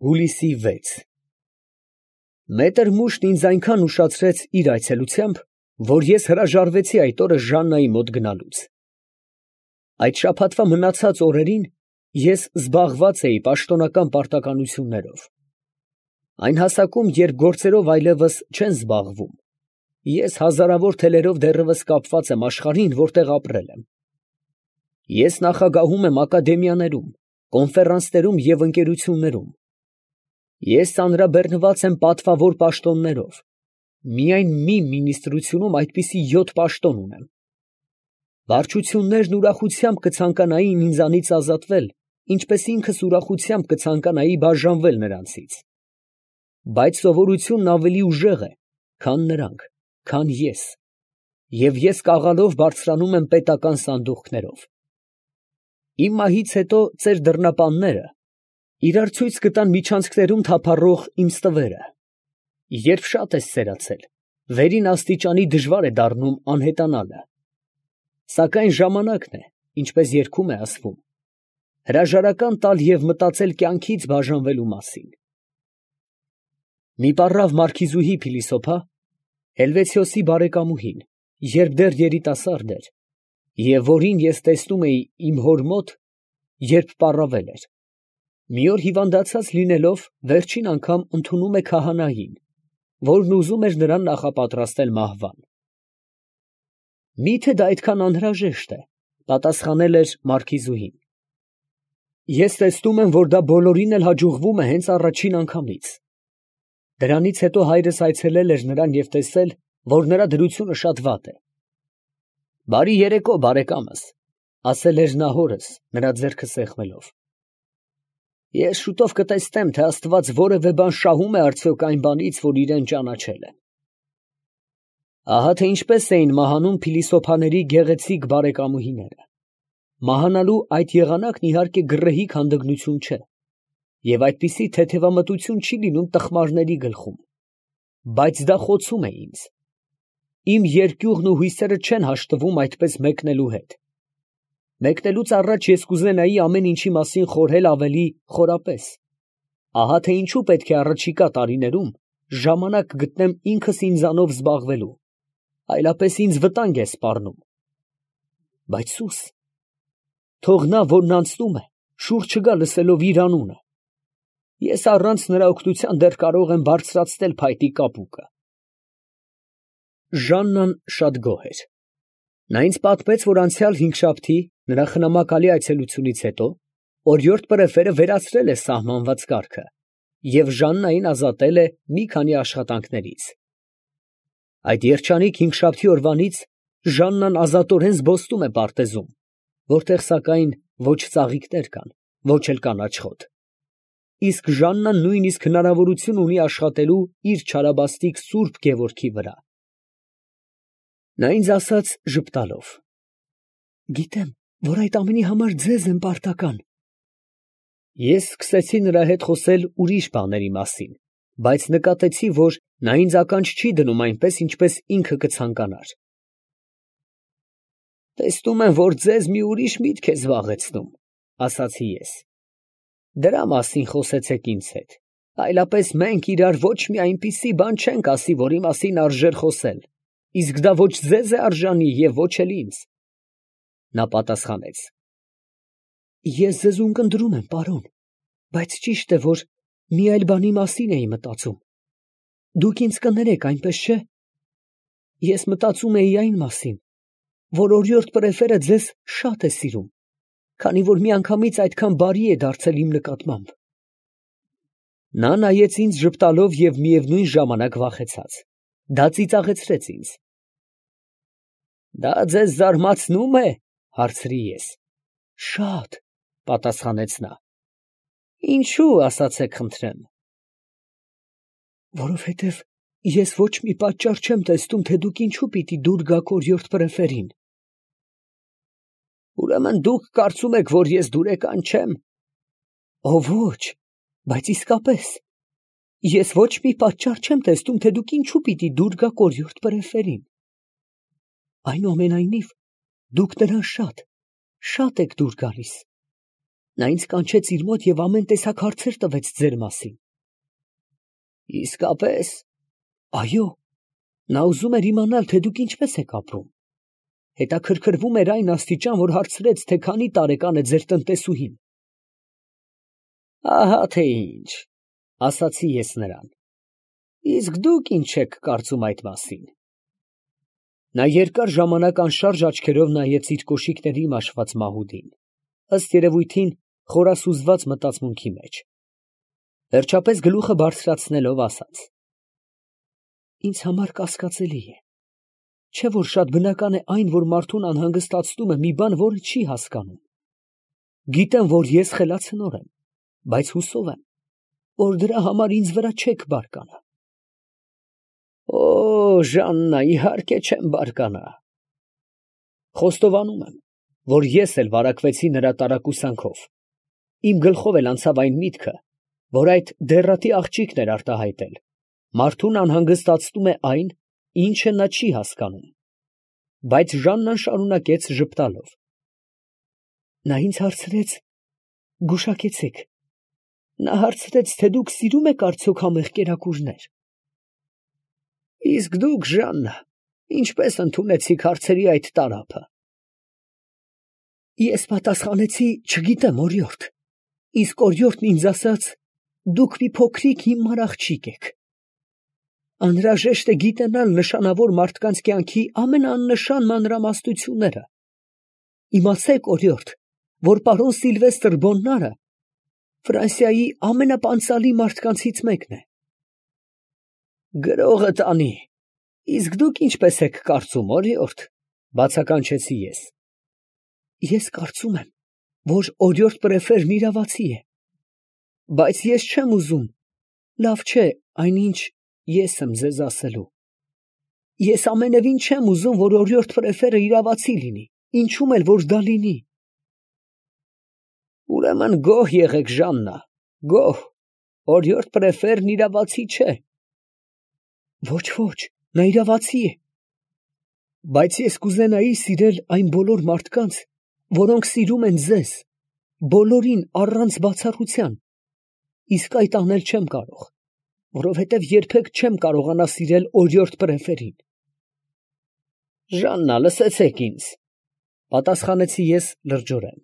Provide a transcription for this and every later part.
Հուլիսի 6 Մետր Մուշն ինձ այնքան ուշացրեց իր այցելությամբ, որ ես հրաժարվեցի այդ օրը Ժաննայի մոտ գնալուց։ Այդ շաբաթվա մնացած օրերին ես զբաղված էի պաշտոնական պարտականություններով։ Այն հասակում, երբ գործերով այլևս չեն զբաղվում, ես հազարավոր թելերով դեռևս կապված եմ աշխարհին, որտեղ ապրել եմ։ Ես նախագահում եմ ակադեմիաներում, կոնֆերանսներում և ընկերություններում։ Ես ծանրաբեռնված եմ պատվավոր պաշտոններով, միայն մի մինիստրությունում այդպիսի 7 պաշտոն ունեմ։ Վարչություններն ուրախությամբ կցանկանային ինձանից ազատվել, ինչպես ինքս ուրախությամբ կցանկանայի բաժանվել նրանցից։ Բայց սովորությունն ավելի ուժեղ է, քան նրանք, քան ես, և ես կաղալով բարձրանում եմ պետական սանդուղքներով։ Իմ մահից հետո ծեր դռնապանները իրար ցույց կտան միջանցքներում թափառող իմ ստվերը։ Երբ շատ ես սերացել, վերին աստիճանի դժվար է դառնում անհետանալը։ Սակայն ժամանակն է, ինչպես երգում է ասվում, հրաժարական տալ և մտածել կյանքից բաժանվելու մասին։ Մի պառավ մարքիզուհի փիլիսոփա, Հելվեցիոսի բարեկամուհին, երբ դեռ երիտասարդ էր, և որին ես տեսնում էի իմ հոր մոտ, երբ պառավել էր, մի օր հիվանդացած լինելով, վերջին անգամ ընդունում է քահանային, որն ուզում էր նրան նախապատրաստել մահվան։ Մի՞թե դա այդքան անհրաժեշտ է, պատասխանել էր մարքիզուհին։ Ես տեսնում եմ, որ դա բոլորին էլ հաջողվում է հենց առաջին անգամից։ Դրանից հետո հայրս այցելել էր նրան և տեսել, որ նրա դրությունը շատ վատ է։ «Բարի երեկո, բարեկամս», ասել էր նա հորս, նրա ձեռքը սեղմելով։ Ես շուտով կտեսնեմ, թե Աստված որևէ բան շահում է արդյոք այն բանից, որ իրան ճանաչել եմ։ Ահա թե ինչպես էին մահանում փիլիսոփաների գեղեցիկ բարեկամուհիները։ Մահանալու այդ եղանակն իհարկե գռեհիկ հանդգնություն չէ, և այդպիսի թեթևամտություն չի լինում տխմարների գլխում, բայց դա խոցում է ինձ։ Իմ երկյուղն ու հույսերը չեն հաշտվում այդպես մեկնելու հետ։ Մեկնելուց առաջ ես կուզենայի ամեն ինչի մասին խորհել ավելի խորապես։ Ահա թե ինչու պետք է առաջիկա տարիներում ժամանակ գտնեմ ինքս ինձանով զբաղվելու, այլապես ինձ վտանգ է սպառնում։ Բայց սուս, թող նա, որն անցնում է, շուռ չգա լսելով իր անունը։ Ես առանց նրա օգնության դեռ կարող եմ բարձրացնել փայտի կապուկը։ Ժաննան շատ գոհ էր։ Նա ինձ պատմեց, որ անցյալ հինգշաբթի, նրա խնամակալի այցելությունից հետո, օրիորդ պրեֆերը վերացրել է սահմանված կարգը և Ժաննային ազատել է մի քանի աշխատանքներից։ Այդ երջանիկ հինգշաբթի օրվանից Ժաննան ազատորեն զբոսնում է պարտեզում, որտեղ սակայն ոչ ծաղիկներ կան, ոչ էլ կանաչ խոտ։ Իսկ Ժաննան նույնիսկ հնարավորություն ունի աշխատելու իր չարաբաստիկ սուրբ Գևորգի վրա։ Նա ինձ ասաց ժպտալով. «Գիտեմ, որ այդ ամենի համար ձեզ եմ պարտական»։ Ես սկսեցի նրա հետ խոսել ուրիշ բաների մասին, բայց նկատեցի, որ նա ինձ ականջ չի դնում այնպես, ինչպես ինքը կցանկանար։ «Տեսնում եմ, որ ձեզ մի ուրիշ միտք է զբաղեցնում», ասացի ես։ «Դրա մասին խոսեցեք ինձ հետ, այլապես մենք իրար ոչ մի այնպիսի բան չենք ասի, որի մասին արժեր խոսել, իսկ դա ոչ ձեզ է արժանի և ոչ էլ ինձ»։ Նա պատասխանեց. «Ես ձեզ ունկնդրում եմ, պարոն, բայց ճիշտ է, որ մի այլ բանի մասին էի մտածում։ Դուք ինձ կներեք, այնպես չէ։ Ես մտածում էի այն մասին, որ օրիորդ պրեֆերը ձեզ շատ է սիրում, քանի որ միանգամից այդքան բարի է դարձել իմ նկատմամբ»։ Նա նայեց ինձ ժպտալով և միևնույն ժամանակ վախեցած։ Դա ծիծաղեցրեց ինձ։ «Դա ձեզ զարմացնո՞ւմ է», հարցրի ես։ «Շատ», պատասխանեց նա։ «Ինչո՞ւ, ասացեք խնդրեմ»։ «Որովհետև ես ոչ մի պատճառ չեմ տեսնում, թե դուք ինչու պիտի դուր գաք օրիորդ պրեֆերին»։ «Ուրեմն դուք կարծում եք, որ ես դուրեկան չեմ»։ «Ոչ, բայց իսկապես, ես ոչ մի պատճառ չեմ տեսնում, թե դուք ինչու պիտի դուր գաք օրիորդ պրեֆերին։ Այնուամենայնիվ, դուք նրան շատ եք դուր գալիս»։ Նա ինձ կանչեց իր մոտ և ամեն տեսակ հարցեր տվեց ձեր մասին։ Իսկապես։ Այո, նա ուզում էր իմանալ, թե դուք ինչպես եք ապրում։ Հետաքրքրվում էր այն աստիճան, որ հարցրեց, թե քանի տարեկան է ձեր տնտեսուհին։ Ահա թե ինչ, ասացի ես նրան։ Իսկ դուք ինչ եք կարծում այդ մասին։ Նա երկար ժամանակ անշարժ աչքերով նայեց իր կոշիկների մաշված մահուդին, ըստ երևույթին խորասուզված մտածմունքի մեջ։ Վերջապես գլուխը բարձրացնելով ասաց. Ինձ համար կասկածելի է, չէ՞ որ շատ բնական է այն, որ մարդուն անհանգստացնում է մի բան, որը չի հասկանում։ Գիտեմ, որ ես խելացնոր եմ, բայց հուսով եմ, որ դրա համար ինձ վրա չեք բարկանա։ Օ, Ժաննա, իհարկե չեմ բարկանա։ Խոստովանում եմ, որ ես էլ վարակվեցի նրա տարակուսանքով։ Իմ գլխով էլ անցավ այն միտքը, որ այդ դեռատի աղջիկն էր արտահայտել։ Մարդուն անհանգստացնում է այն, ինչը նա չի հասկանում։ Բայց Ժաննան շարունակեց ժպտալով. Նա ինձ հարցրեց, գուշակեցեք, նա հարցրեց, թե դուք սիրում եք արդյոք համեղ կերակուրներ։ Իսկ դուք, Ժաննա, ինչպես ընդունեցիք հարցերի այդ տարափը։ Ես պատասխանեցի, չգիտեմ, օրիորդ։ Իսկ օրիորդն ինձ ասաց, դուք մի փոքրիկ հիմար աղջիկ եք։ Անհրաժեշտ է գիտենալ նշանավոր մարդկանց կյանքի ամենաաննշան մանրամասնությունները։ Իմացեք, օրիորդ, որ պարոն Սիլվեստր Բոննարը Ֆրանսիայի ամենապանծալի մարդկանցից մեկն է։ Գրողը տանի, իսկ դուք ինչպես եք կարծում, օրիորդ, բացականչեցի ես։ Ես կարծում եմ, որ օրիորդ պրեֆերն իրավացի է, բայց ես չեմ ուզում, լավ չէ, այնինչ ես եմ ձեզ ասելու։ Ես ամենևին չեմ ուզում, որ օրիորդ պրեֆերը իրավացի լինի, ինչում էլ որ դա լինի։ Ուրեմն գոհ եղեք, Ժաննա, գոհ, օրիորդ պրեֆերն իրավացի չէ։ Ոչ, ոչ, նա իրավացի է։ Բայց ես կուզենայի սիրել այն բոլոր մարդկանց, որոնք սիրում են ձեզ, բոլորին առանց բացառության, իսկ այդ անել չեմ կարող, որովհետև երբեք չեմ կարողանա սիրել օրիորդ պրեֆերին։ Ժաննա, լսեցեք ինձ, պատասխանեցի ես լրջորեն։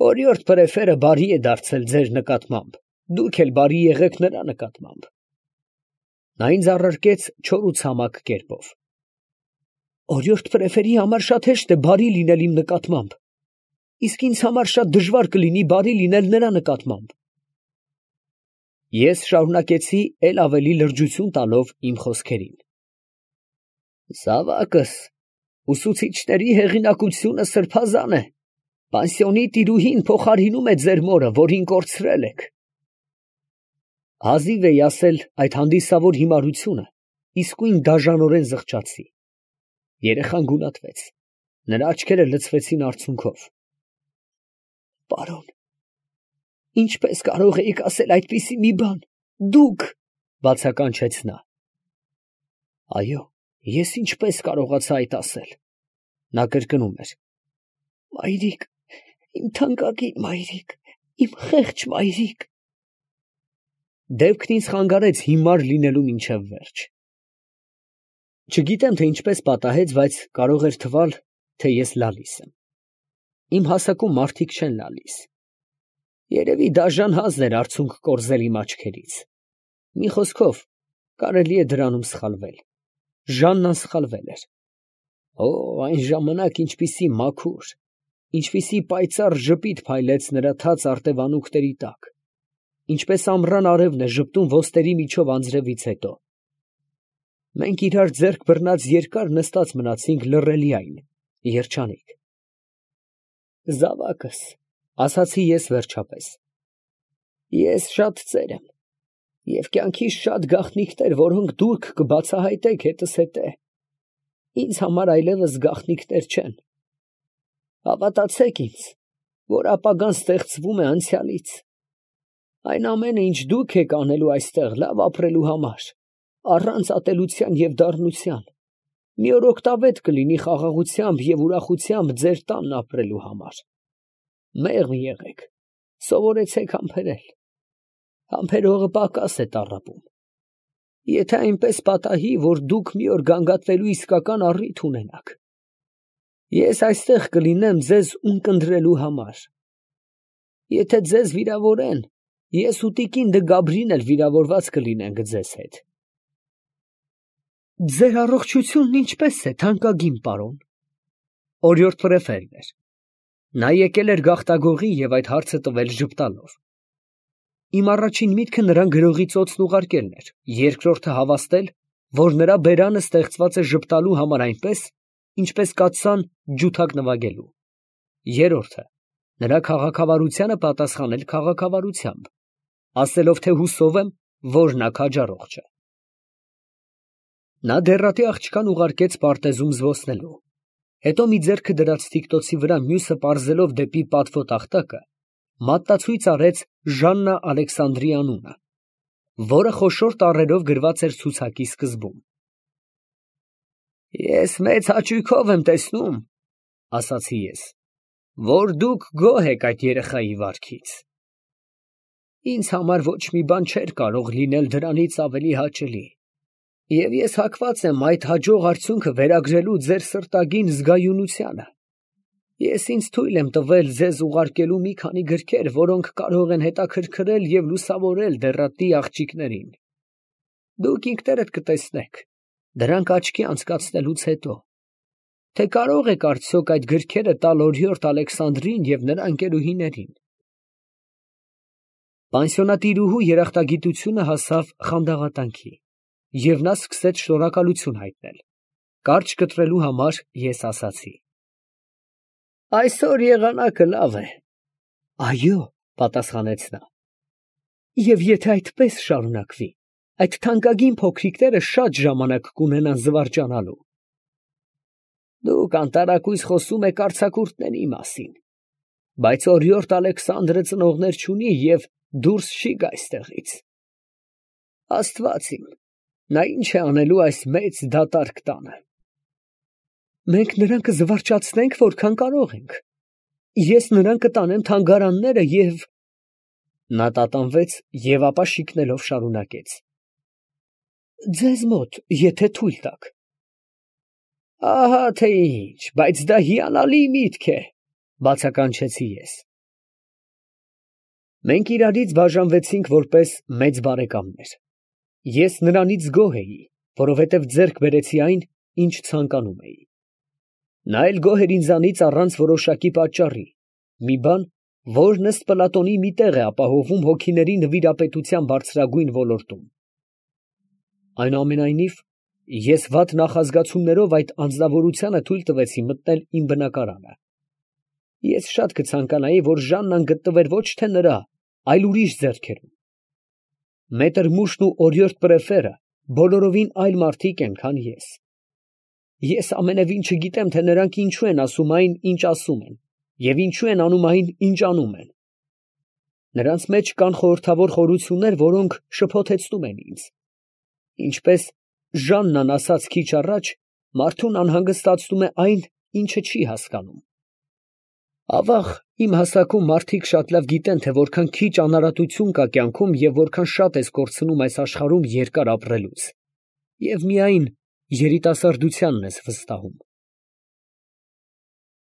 Օրիորդ պրեֆերը բարի է դարձել ձեր նկատմամբ, դուք էլ բարի եղեք նրա նկատմամբ։ Նա ինձ առարկեց չոր ու ցամաք կերպով։ Օրիորդ պրեֆերի համար շատ հեշտ է բարի լինել իմ նկատմամբ, իսկ ինձ համար շատ դժվար կլինի բարի լինել նրա նկատմամբ։ Ես շարունակեցի էլ ավելի լրջություն տալով իմ խոսքերին։ Զավակս, ուսուցիչների հեղինակությունը սրբազան է։ Պանսիոնի տիրուհին փոխարինում է ձեր մորը, որին կորցրել եք։ Հազիվ էի ասել այդ հանդիսավոր հիմարությունը, իսկույն դաժանորեն զղջացի։ Երեխան գունատվեց, նրա աչքերը լցվեցին արցունքով։ Պարոն, ինչպես կարող էիք ասել այդպիսի մի բան, դուք, բացականչեց նա։ Այո, ես ինչպես կարողացա այդ ասել։ Նա կրկնում էր. Մայրիկ, իմ թանկագին մայրիկ, իմ խեղճ մայրիկ։ Դեպքն ինձ խանգարեց հիմար լինելու մինչև վերջ։ Չգիտեմ, թե ինչպես պատահեց, բայց կարող էր թվալ, թե ես լալիս եմ։ Իմ հասակում մարդիկ չեն լալիս։ Երևի դաժան հազն էր արցունք կորզել իմ աչքերից։ Մի խոսքով, կարելի է դրանում սխալվել։ Ժաննան սխալվել էր։ Օ, այն ժամանակ ինչպիսի մաքուր, ինչպիսի պայծառ ժպիտ փայլեց նրա թաց արտևանունքների տակ, ինչպես ամռան արևն է ժպտում ոստերի միջով անձրևից հետո։ Մենք իրար ձեռք բռնած երկար նստած մնացինք լռելիայն, երջանիկ։ Զավակս, ասացի ես վերջապես, ես շատ ծեր եմ, և կյանքիս շատ գաղտնիքներ, որոնք դուք կբացահայտեք հետս հետե, ինձ համար այլևս գաղտնիքներ չեն։ Հավատացեք ինձ, որ ապագան ստեղծվում է անցյալից։ Այն ամենը, ինչ դուք եք անելու այստեղ լավ ապրելու համար, առանց ատելության և դառնության, մի օր օգտավետ կլինի խաղաղությամբ և ուրախությամբ ձեր տանն ապրելու համար։ Մեղմ եղեք, Սովորեցեք համբերել։ Համբերողը պակաս է տառապում։ Եթե այնպես պատահի, որ դուք մի օր գանգատվելու իսկական առիթ ունենաք, ես այստեղ կլինեմ ձեզ ունկնդրելու համար։ Եթե ձեզ վիրավորեն, ես ու տիկին Դգաբրին էլ վիրավորված կլինենք ձեզ հետ։ Ձեր առողջությունն ինչպես է, թանկագին պարոն։ Օրիորդ Պրեֆերն էր։ Նա եկել էր գաղտագողի և այդ հարցը տվել ժպտալով։ Իմ առաջին միտքը նրան գրողի ծոցն ուղարկելն էր, երկրորդը հավաստել, որ նրա բերանը ստեղծված է ժպտալու համար այնպես, ինչպես կաթսան ջութակ նվագելու։ Երրորդը նրա քաղաքավարությանը պատասխանել քաղաքավարությամբ, ասելով, թե հուսով եմ, որ նա քաջառողջ է։ Նա դեռատի աղջկան ուղարկեց պարտեզում զբոսնելու, հետո մի ձեռքը դրած թիկտոցի վրա, մյուսը պարզելով դեպի պատվո տախտակը, մատնացույց արեց Ժաննա Ալեքսանդրի անունը, որը խոշոր տառերով գրված էր ցուցակի սկզբում։ Ես մեծ հաճույքով եմ տեսնում, ասացի ես, որ դուք գոհ եք այդ երեխայի վարքից։ Ինձ համար ոչ մի բան չէր կարող լինել դրանից ավելի հաճելի, և ես հակված եմ այդ հաջող արդյունքը վերագրելու ձեր սրտագին զգայունությանը։ Ես ինձ թույլ եմ տվել ձեզ ուղարկելու մի քանի գրքեր, որոնք կարող են հետաքրքրել և լուսավորել դեռատի աղջիկներին։ Դուք ինքներդ կտեսնեք, դրանք աչքի անցկացնելուց հետո, թե կարող եք արդյոք այդ գրքերը տալ օրիորդ Ալեքսանդրին և նրա ընկերուհիներին։ Պանսիոնատիրուհու երախտագիտությունը հասավ խանդավատանքի, և նա սկսեց շնորհակալություն հայտնել։ Կարճ կտրելու համար ես ասացի. Այսօր եղանակը լավ է։ Այո, պատասխանեց նա։ Եվ եթե այդպես շարունակվի, այդ թանկագին փոքրիկները շատ ժամանակ կունենան զվարճանալու։ Դուք անտարակույս խոսում եք արձակուրդների մասին, բայց օրիորդ Ալեքսանդրը ծնողներ չունի և դուրս չի գա այստեղից։ Աստված իմ, նա ինչ է անելու այս մեծ դատարկ տանը։ Մենք նրան կզվարճացնենք, որքան կարող ենք։ Ես նրան կտանեմ թանգարանները և… Նա տատանվեց և ապա շիկնելով շարունակեց. Ձեզ մոտ, եթե թույլ տաք։ Ահա թե ինչ, բայց դա հիանալի միտք է, բացականչեցի ես։ Մենք իրարից բաժանվեցինք որպես մեծ բարեկամներ։ Ես նրանից գոհ էի, որովհետև ձեռք բերեցի այն, ինչ ցանկանում էի։ Նա էլ գոհ էր ինձանից առանց որոշակի պատճառի, մի բան, որն ըստ Պլատոնի մի տեղ է ապահովում հոգիների նվիրապետության բարձրագույն ոլորտում։ Այնուամենայնիվ, ես վատ նախազգացումներով այդ անձնավորությանը թույլ տվեցի մտնել իմ բնակարանը։ Ես շատ կցանկանայի, որ Ժաննան գտնվեր ոչ թե նրա, այլ ուրիշ ձեռքերում։ Մետր Մուշն ու օրիորդ Պրեֆերը բոլորովին այլ մարդիկ են, քան ես։ Ես ամենևին չգիտեմ, թե նրանք ինչու են ասում այն, ինչ ասում են, և ինչու են անում այն, ինչ անում են։ Նրանց մեջ կան խորհրդավոր խորություններ, որոնք շփոթեցնում են ինձ։ Ինչպես Ժաննան ասաց քիչ առաջ, մարդուն անհանգստացնում է այն, ինչը չի հասկանում։ Ավաղ, իմ հասակում մարդիկ շատ լավ գիտեն, թե որքան քիչ անարատություն կա կյանքում և որքան շատ ես կորցնում այս աշխարհում երկար ապրելուց, և միայն երիտասարդությանն ես վստահում։